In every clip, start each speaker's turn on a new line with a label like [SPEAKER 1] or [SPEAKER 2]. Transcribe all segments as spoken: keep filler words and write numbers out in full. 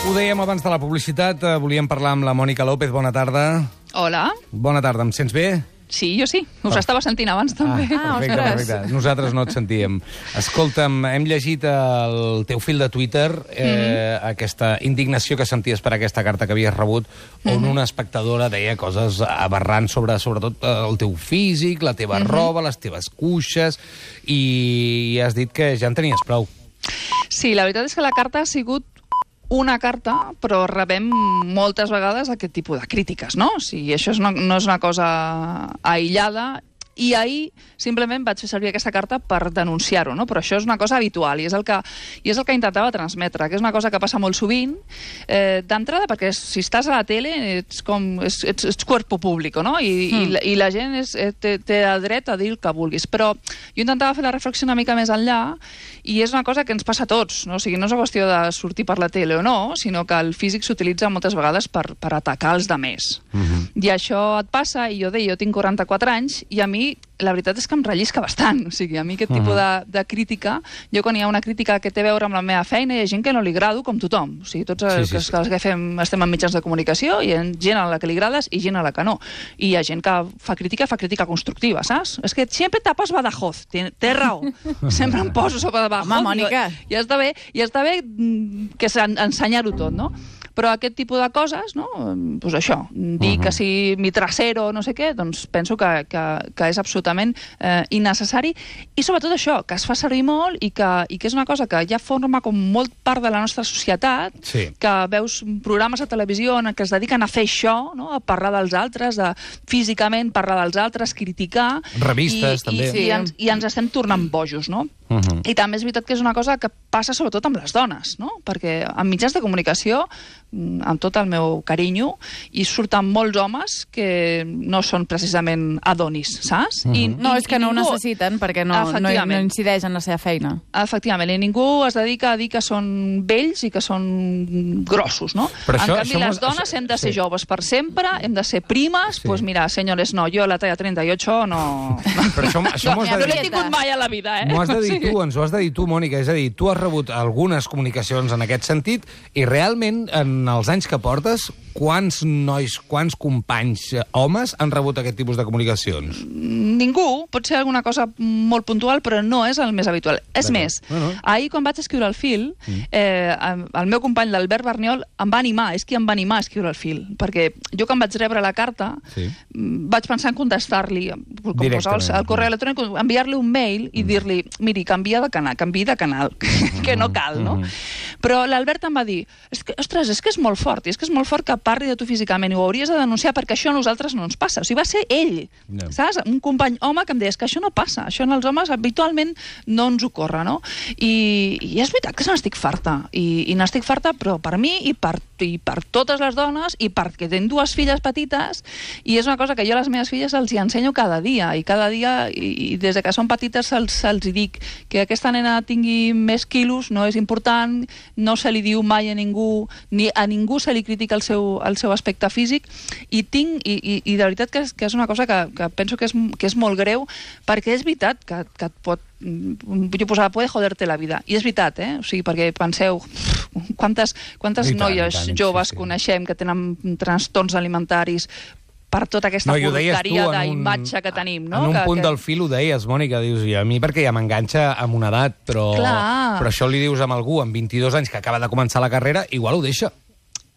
[SPEAKER 1] Ho dèiem abans de la publicitat, eh, volíem parlar amb la Mònica López. Bona tarda.
[SPEAKER 2] Hola.
[SPEAKER 1] Bona tarda, em sents bé?
[SPEAKER 2] Sí, jo sí. Us oh. estava sentint abans, també.
[SPEAKER 1] Ah, perfecte, perfecte. Nosaltres no et sentíem. Escolta'm, hem llegit el teu fil de Twitter, eh, mm-hmm. aquesta indignació que senties per aquesta carta que havies rebut, on mm-hmm. una espectadora deia coses aberrants sobre, sobretot, el teu físic, la teva mm-hmm. roba, les teves cuixes, i has dit que ja en tenies prou.
[SPEAKER 2] Sí, la veritat és que la carta ha sigut una carta, però rebem moltes vegades aquest tipus de crítiques, no? O sigui, això és una, no és una cosa aïllada, i ahir simplement vaig fer servir aquesta carta per denunciar-ho, no? Però això és una cosa habitual i és el que, i és el que intentava transmetre, que és una cosa que passa molt sovint, eh, d'entrada, perquè si estàs a la tele ets com ets, ets, ets cuerpo público, no? I, mm. i, la, i la gent és, té, té el dret a dir el que vulguis. Però jo intentava fer la reflexió una mica més enllà i és una cosa que ens passa a tots, no? O sigui, no és una qüestió de sortir per la tele o no, sinó que el físic s'utilitza moltes vegades per, per atacar els demés. Mm-hmm. I això et passa, i jo deia, jo tinc quaranta-quatre anys, i a mi la veritat és que em rellisca bastant. O sigui, a mi aquest uh-huh. tipus de, de crítica, jo quan hi ha una crítica que té a veure amb la meva feina, hi ha gent que no li agrado, com tothom. O sigui, tots els, sí, sí, sí. els que fem, estem en mitjans de comunicació, hi ha gent a la que li agrades i gent a la que no. I hi ha gent que fa crítica, fa crítica constructiva, saps? És que sempre tapes Badajoz. Té, té raó. Sempre em poso sobre Badajoz.
[SPEAKER 3] Home, Mònica.
[SPEAKER 2] I, i està bé, i està bé que ensenyar-ho tot, no? Però aquest tipus de coses, no? Pues això, dir uh-huh. que si mi trasero no sé què, doncs penso que, que, que és absolutament eh, innecessari, i sobretot això, que es fa servir molt i que, i que és una cosa que ja forma com molt part de la nostra societat, sí. que veus programes a televisió en què es dediquen a fer això, no? A parlar dels altres, a físicament parlar dels altres, criticar...
[SPEAKER 1] Revistes,
[SPEAKER 2] i,
[SPEAKER 1] també.
[SPEAKER 2] I, sí, i, ens, I ens estem tornant bojos, no? Uh-huh. I també és veritat que és una cosa que passa sobretot amb les dones, no? Perquè en mitjans de comunicació, amb tot el meu carinyo, i surten molts homes que no són precisament adonis, saps?
[SPEAKER 3] Uh-huh.
[SPEAKER 2] I,
[SPEAKER 3] no,
[SPEAKER 2] i,
[SPEAKER 3] és que
[SPEAKER 2] i
[SPEAKER 3] no
[SPEAKER 2] ningú...
[SPEAKER 3] ho necessiten, perquè no, no, no incideix en la seva feina.
[SPEAKER 2] Efectivament, i ningú es dedica a dir que són vells i que són grossos, no?
[SPEAKER 1] Però
[SPEAKER 2] en
[SPEAKER 1] això,
[SPEAKER 2] canvi, les dones això, hem de ser sí. joves per sempre, hem de ser primes, doncs sí. pues mira, senyores, no, jo a la talla trenta-ocho no...
[SPEAKER 1] Però això, això
[SPEAKER 2] no,
[SPEAKER 1] no
[SPEAKER 2] l'he tingut mai a la vida, eh?
[SPEAKER 1] M'ho has de dir tu, ens ho has de dir tu, Mònica. És a dir, tu has rebut algunes comunicacions en aquest sentit i realment, en els anys que portes, quants nois, quants companys homes han rebut aquest tipus de comunicacions?
[SPEAKER 2] Ningú. Pot ser alguna cosa molt puntual, però no és el més habitual. És més, no, no. ahir quan vaig escriure el fil, eh, el meu company, l'Albert Barniol, em va animar, és qui em va animar a escriure el fil, perquè jo quan vaig rebre la carta sí. vaig pensar en contestar-li, com posar el, el correu electrònic, enviar-li un mail i mm. dir-li, miri, canvia de canal, canvia de canal, que no cal, no? Mm. Però l'Albert em va dir, és que, ostres, és que és molt fort, i és que és molt fort que parli de tu físicament, i ho hauries de denunciar perquè això a nosaltres no ens passa. O sigui, va ser ell, no. saps? Un company home que em deia, és que això no passa, això en els homes habitualment no ens ocorre, no? I, i és veritat que se n'estic farta, i, i n'estic farta, però per mi i per, i per totes les dones, i perquè tinc dues filles petites, i és una cosa que jo a les meves filles els hi ensenyo cada dia, i cada dia, i, i des de que són petites se'ls, se'ls hi dic que aquesta nena tingui més quilos no és important, no se li diu mai a ningú, ni a ningú se li critica el seu, el seu aspecte físic, i tinc, i, i, i de veritat que és, que és una cosa que, que penso que és, que és molt greu, perquè és veritat que, que et pot, jo posava, puede joderte la vida, i és veritat, eh? O sigui, perquè penseu, quantes, quantes tant, noies tant, joves sí, sí. coneixem que tenen trastorns alimentaris per tota aquesta
[SPEAKER 1] no,
[SPEAKER 2] porqueria d'imatge que tenim, no?
[SPEAKER 1] En un
[SPEAKER 2] que,
[SPEAKER 1] punt
[SPEAKER 2] que...
[SPEAKER 1] del fil ho deies, Mònica, dius, i a mi perquè ja m'enganxa amb una edat, però, però això li dius a algú amb vint-i-dos anys que acaba de començar la carrera, igual ho deixa.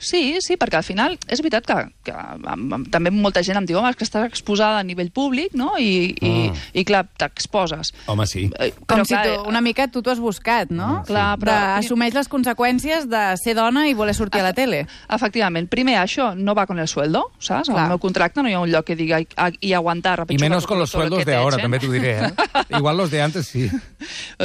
[SPEAKER 2] Sí, sí, perquè al final és veritat que, que amb, amb, també molta gent em diu, home, és que estàs exposada a nivell públic, no? I, mm. i, i clar, t'exposes.
[SPEAKER 1] Home, sí.
[SPEAKER 2] Però,
[SPEAKER 3] Com si
[SPEAKER 2] clar,
[SPEAKER 3] tu, una mica tu t'ho has buscat, no?
[SPEAKER 2] Mm, clar, però...
[SPEAKER 3] De, assumeix les conseqüències de ser dona i voler sortir a la tele.
[SPEAKER 2] Efectivament. Primer, això no va con el sueldo, saps? Clar. Al meu contracte no hi ha un lloc que diga i aguantar...
[SPEAKER 1] I menos con los sueldos de ahora, també t'ho diré, eh? Igual los de antes, sí.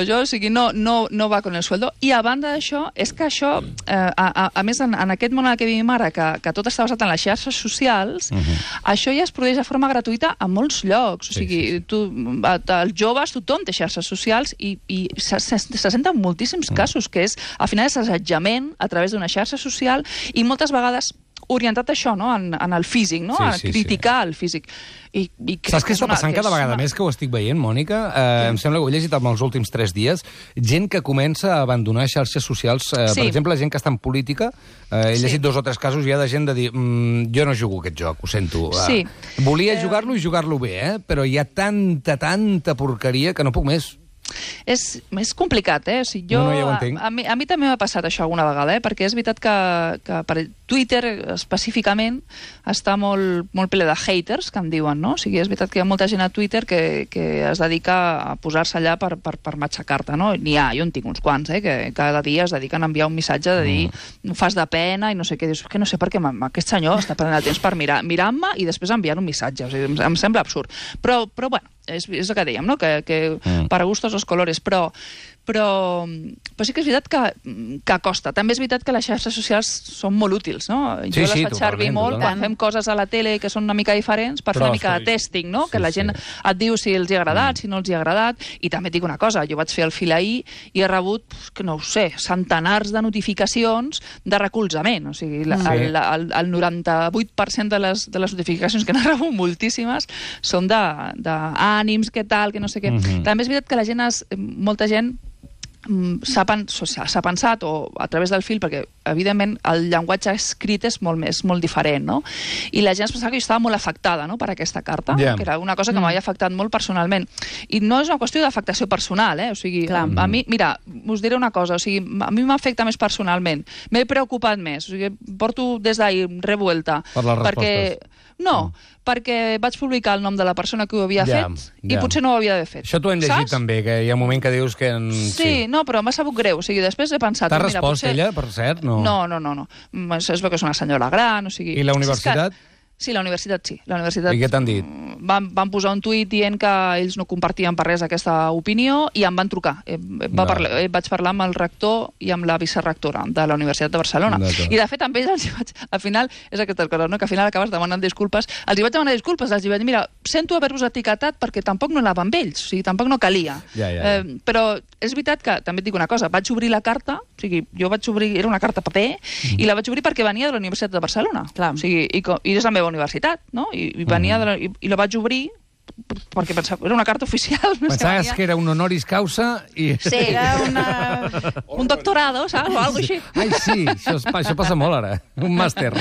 [SPEAKER 2] Jo, o sigui, no, no, no va con el sueldo. I a banda d'això, és que això, eh, a, a, a més, en, en aquest món en què vivim ara, que, que tot està basat en les xarxes socials, uh-huh. això ja es produeix de forma gratuïta a molts llocs. O sigui, sí, sí. Tu, els joves, tothom té xarxes socials i, i se, se, se senten moltíssims uh-huh. casos, que és, al final, és assetjament a través d'una xarxa social, i moltes vegades orientat a això, no? En, en el físic, no?
[SPEAKER 1] Sí,
[SPEAKER 2] A
[SPEAKER 1] sí,
[SPEAKER 2] criticar sí. el físic. I, i
[SPEAKER 1] Saps què
[SPEAKER 2] és
[SPEAKER 1] està
[SPEAKER 2] una-
[SPEAKER 1] passant
[SPEAKER 2] que
[SPEAKER 1] cada
[SPEAKER 2] és
[SPEAKER 1] vegada
[SPEAKER 2] una-
[SPEAKER 1] més, que ho estic veient, Mònica? Eh, em sembla que ho he llegit en els últims tres dies. Gent que comença a abandonar xarxes socials. Eh,
[SPEAKER 2] Sí.
[SPEAKER 1] Per exemple, gent que està en política. Eh, he
[SPEAKER 2] Sí.
[SPEAKER 1] llegit dos o tres casos ja de gent de dir mm, jo no jugo aquest joc, ho sento. Eh,
[SPEAKER 2] Sí.
[SPEAKER 1] Volia jugar-lo i jugar-lo bé, eh? Però hi ha tanta, tanta porqueria que no puc més.
[SPEAKER 2] És, és complicat, eh? O sigui, jo,
[SPEAKER 1] No, no, ja ho entenc.
[SPEAKER 2] a, a, mi, a mi també m'ha passat això alguna vegada, eh? Perquè és veritat que, que per Twitter específicament està molt, molt ple de haters, que en diuen, no? O sigui, és veritat que hi ha molta gent a Twitter que, que es dedica a posar-se allà per, per, per matxacar-te, no? N'hi ha, jo en tinc uns quants, eh? Que cada dia es dediquen a enviar un missatge de dir mm. fas de pena i no sé què. Dius, que no sé per què aquest senyor està perdent el temps per mirar, mirant-me i després enviant un missatge. O sigui, em, em sembla absurd. Però, però bueno, és, és el que dèiem, no? Que, que mm. para gustos los colores, però, però, però sí que és veritat que, que costa. També és veritat que les xarxes socials són molt útils, no?
[SPEAKER 1] Sí,
[SPEAKER 2] jo les
[SPEAKER 1] sí,
[SPEAKER 2] faig servir
[SPEAKER 1] totalment,
[SPEAKER 2] molt
[SPEAKER 1] totalment.
[SPEAKER 2] quan fem coses a la tele que són una mica diferents per
[SPEAKER 1] Però
[SPEAKER 2] fer una mica
[SPEAKER 1] sí.
[SPEAKER 2] de testing, no?
[SPEAKER 1] Sí,
[SPEAKER 2] Que la gent
[SPEAKER 1] sí.
[SPEAKER 2] et diu si els hi ha agradat, si no els hi ha agradat, i també et dic una cosa, jo vaig fer el fil ahir i he rebut, que no ho sé, centenars de notificacions de recolzament, o sigui, la,
[SPEAKER 1] Sí.
[SPEAKER 2] el, el, el noranta-vuit per cent de les, de les notificacions que n'he rebut, moltíssimes, són d'ànims, què tal, que no sé què.
[SPEAKER 1] Mhm.
[SPEAKER 2] També és veritat que la gent, es, molta gent mm, s'ha pen- s'ha pensat, o a través del fil, perquè evidentment el llenguatge escrit és molt més, molt diferent, no? I la gent es pensava que jo estava molt afectada, no?, per aquesta carta,
[SPEAKER 1] Ja.
[SPEAKER 2] que era una cosa que m'havia afectat molt personalment. I no és una qüestió d'afectació personal, eh? O sigui,
[SPEAKER 3] Clar.
[SPEAKER 2] a, a mi, mira, us diré una cosa, o sigui, a mi m'afecta més personalment, m'he preocupat més, o sigui, porto des d'ahir revuelta.
[SPEAKER 1] Per les
[SPEAKER 2] perquè,
[SPEAKER 1] respostes.
[SPEAKER 2] no, perquè vaig publicar el nom de la persona que ho havia
[SPEAKER 1] Ja,
[SPEAKER 2] fet
[SPEAKER 1] ja.
[SPEAKER 2] i potser no ho havia d'haver fet.
[SPEAKER 1] Això t'ho hem llegit
[SPEAKER 2] Saps?
[SPEAKER 1] també, que hi ha un moment que dius que... En...
[SPEAKER 2] Sí, no, però m'ha sabut greu. O sigui, després he pensat...
[SPEAKER 1] T'ha
[SPEAKER 2] mira,
[SPEAKER 1] respost
[SPEAKER 2] potser...
[SPEAKER 1] ella, per cert? No.
[SPEAKER 2] No, no, no. no. Mm, Es es veu que és una senyora gran, o sigui...
[SPEAKER 1] I la
[SPEAKER 2] És
[SPEAKER 1] universitat?
[SPEAKER 2] que... Sí, la universitat sí. La universitat...
[SPEAKER 1] I què t'han dit?
[SPEAKER 2] Van, van posar un tuit dient que ells no compartien per res aquesta opinió i em van trucar. Eh, va
[SPEAKER 1] Va.
[SPEAKER 2] parlar, eh, vaig parlar amb el rector i amb la vicerectora de la Universitat de Barcelona.
[SPEAKER 1] D'acord.
[SPEAKER 2] I de fet amb ells els hi vaig... Al final, és aquesta cosa, no? Que al final acabes demanant disculpes. Els hi vaig demanar disculpes, els hi vaig dir, mira, sento haver-vos etiquetat perquè tampoc no anava amb ells, o sigui, tampoc no calia.
[SPEAKER 1] Ja, ja, ja.
[SPEAKER 2] Eh, però és veritat que, també et dic una cosa, vaig obrir la carta, o sigui, jo vaig obrir, era una carta paper,
[SPEAKER 1] Mm.
[SPEAKER 2] i la vaig obrir perquè venia de la Universitat de Barcelona.
[SPEAKER 3] Clar.
[SPEAKER 2] O sigui, i, co- i és la meva universitat, no? I, i venia
[SPEAKER 1] Mm.
[SPEAKER 2] de la, i, i la vaig obrir perquè pensava, era una carta oficial. No sé,
[SPEAKER 1] Pensaves
[SPEAKER 2] venia-
[SPEAKER 1] que era un honoris causa i...
[SPEAKER 2] Sí, era una, un doctorado, saps? O alguna així.
[SPEAKER 1] Ai, sí, això, es, pa- això passa molt ara. Un màster.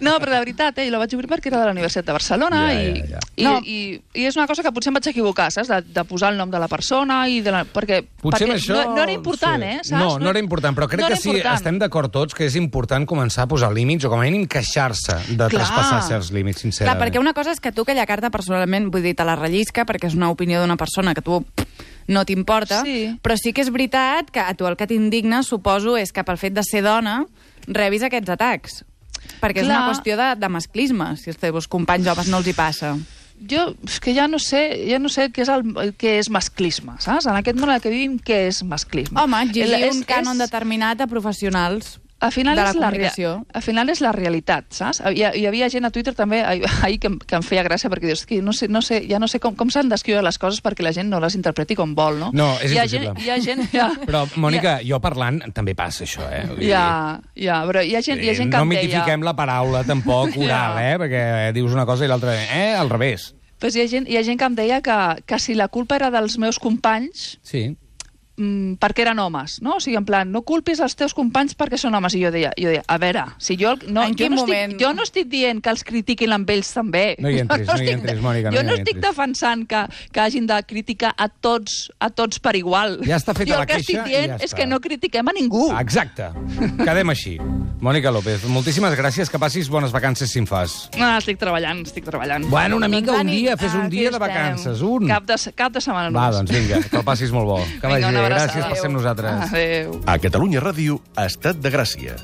[SPEAKER 2] No, però de veritat, eh, la vaig obrir perquè era de la Universitat de Barcelona
[SPEAKER 1] Ja,
[SPEAKER 2] i,
[SPEAKER 1] ja, ja.
[SPEAKER 2] I,
[SPEAKER 3] No.
[SPEAKER 2] i, i és una cosa que potser em vaig equivocar, saps? De, de posar el nom de la persona i de la... Perquè,
[SPEAKER 1] Potser
[SPEAKER 2] perquè
[SPEAKER 1] amb això...
[SPEAKER 2] no, no era important,
[SPEAKER 1] sí.
[SPEAKER 2] eh? Saps?
[SPEAKER 1] No, no era important, però crec
[SPEAKER 2] no
[SPEAKER 1] que
[SPEAKER 2] era
[SPEAKER 1] sí,
[SPEAKER 2] important.
[SPEAKER 1] estem d'acord tots que és important començar a posar límits o com a mínim queixar-se de
[SPEAKER 2] Clar.
[SPEAKER 1] traspassar certs límits,
[SPEAKER 3] Clar,
[SPEAKER 1] sincerament.
[SPEAKER 3] perquè una cosa és que tu aquella carta personalment, vull dir, te la rellisca perquè és una opinió d'una persona que tu no t'importa,
[SPEAKER 2] Sí.
[SPEAKER 3] però sí que és veritat que a tu el que t'indigna, suposo, és que pel fet de ser dona rebis aquests atacs. Perquè és
[SPEAKER 2] Clar.
[SPEAKER 3] una qüestió de, de masclisme, si als teus companys homes no els hi passa.
[SPEAKER 2] Jo és que ja no sé, ja no sé què és, el, què és masclisme, saps? En aquest món en què vivim, què és masclisme?
[SPEAKER 3] Home, exigir
[SPEAKER 2] El- és-
[SPEAKER 3] un cànon
[SPEAKER 2] és-
[SPEAKER 3] determinat a professionals
[SPEAKER 2] Al final,
[SPEAKER 3] de la
[SPEAKER 2] és la,
[SPEAKER 3] comunicació.
[SPEAKER 2] rea- al final és la realitat, saps? Hi, hi havia gent a Twitter també ahir, ahir que, em- que em feia gràcia perquè dius que no sé, no sé, ja no sé com, com s'han d'escriure les coses perquè la gent no les interpreti com vol, no?
[SPEAKER 1] No, és
[SPEAKER 2] hi ha
[SPEAKER 1] impossible.
[SPEAKER 2] gent, hi ha gent... Ja,
[SPEAKER 1] Però, Mònica, jo parlant també passa això, eh? Vull dir,
[SPEAKER 2] ja, ja, però hi ha gent, hi ha gent que
[SPEAKER 1] no
[SPEAKER 2] em deia...
[SPEAKER 1] mitifiquem la paraula tampoc oral,
[SPEAKER 2] Ja.
[SPEAKER 1] eh? Perquè dius una cosa i l'altra, eh? Al revés.
[SPEAKER 2] Pues hi, ha gent, hi ha gent que em deia que, que si la culpa era dels meus companys,
[SPEAKER 1] Sí.
[SPEAKER 2] mm, perquè eren homes, no? O sigui, en plan, no culpis els teus companys perquè són homes. I jo deia, jo deia a veure, si jo... No,
[SPEAKER 3] En
[SPEAKER 2] jo,
[SPEAKER 3] quin
[SPEAKER 2] no
[SPEAKER 3] moment?
[SPEAKER 2] estic, jo no estic dient que els critiquin amb ells també.
[SPEAKER 1] No hi entris,
[SPEAKER 2] Jo
[SPEAKER 1] no hi
[SPEAKER 2] estic-
[SPEAKER 1] entris, Mònica, no
[SPEAKER 2] Jo
[SPEAKER 1] hi
[SPEAKER 2] no
[SPEAKER 1] entris.
[SPEAKER 2] estic defensant que, que hagin de criticar a tots, a tots per igual.
[SPEAKER 1] Ja està feta
[SPEAKER 2] jo
[SPEAKER 1] la
[SPEAKER 2] el que
[SPEAKER 1] queixa
[SPEAKER 2] estic dient
[SPEAKER 1] i ja
[SPEAKER 2] és
[SPEAKER 1] està.
[SPEAKER 2] que no critiquem a ningú.
[SPEAKER 1] Exacte. Quedem així. Mònica López, moltíssimes gràcies, que passis bones vacances si en fas.
[SPEAKER 2] No, estic treballant, estic treballant.
[SPEAKER 1] Bueno, una mica,
[SPEAKER 3] Doncs,
[SPEAKER 1] un
[SPEAKER 3] Dani,
[SPEAKER 1] dia, fes un
[SPEAKER 2] Aquí
[SPEAKER 1] dia de
[SPEAKER 2] estem.
[SPEAKER 1] vacances, un.
[SPEAKER 2] Cap de, cap de setmana
[SPEAKER 1] Va,
[SPEAKER 2] només.
[SPEAKER 1] doncs vinga, que el passis molt bo. Que
[SPEAKER 2] Vinga,
[SPEAKER 1] vagi
[SPEAKER 2] una
[SPEAKER 1] bé.
[SPEAKER 2] abraçada.
[SPEAKER 1] Gràcies per ser amb nosaltres.
[SPEAKER 2] Adéu.
[SPEAKER 4] A Catalunya Ràdio, Estat de Gràcia.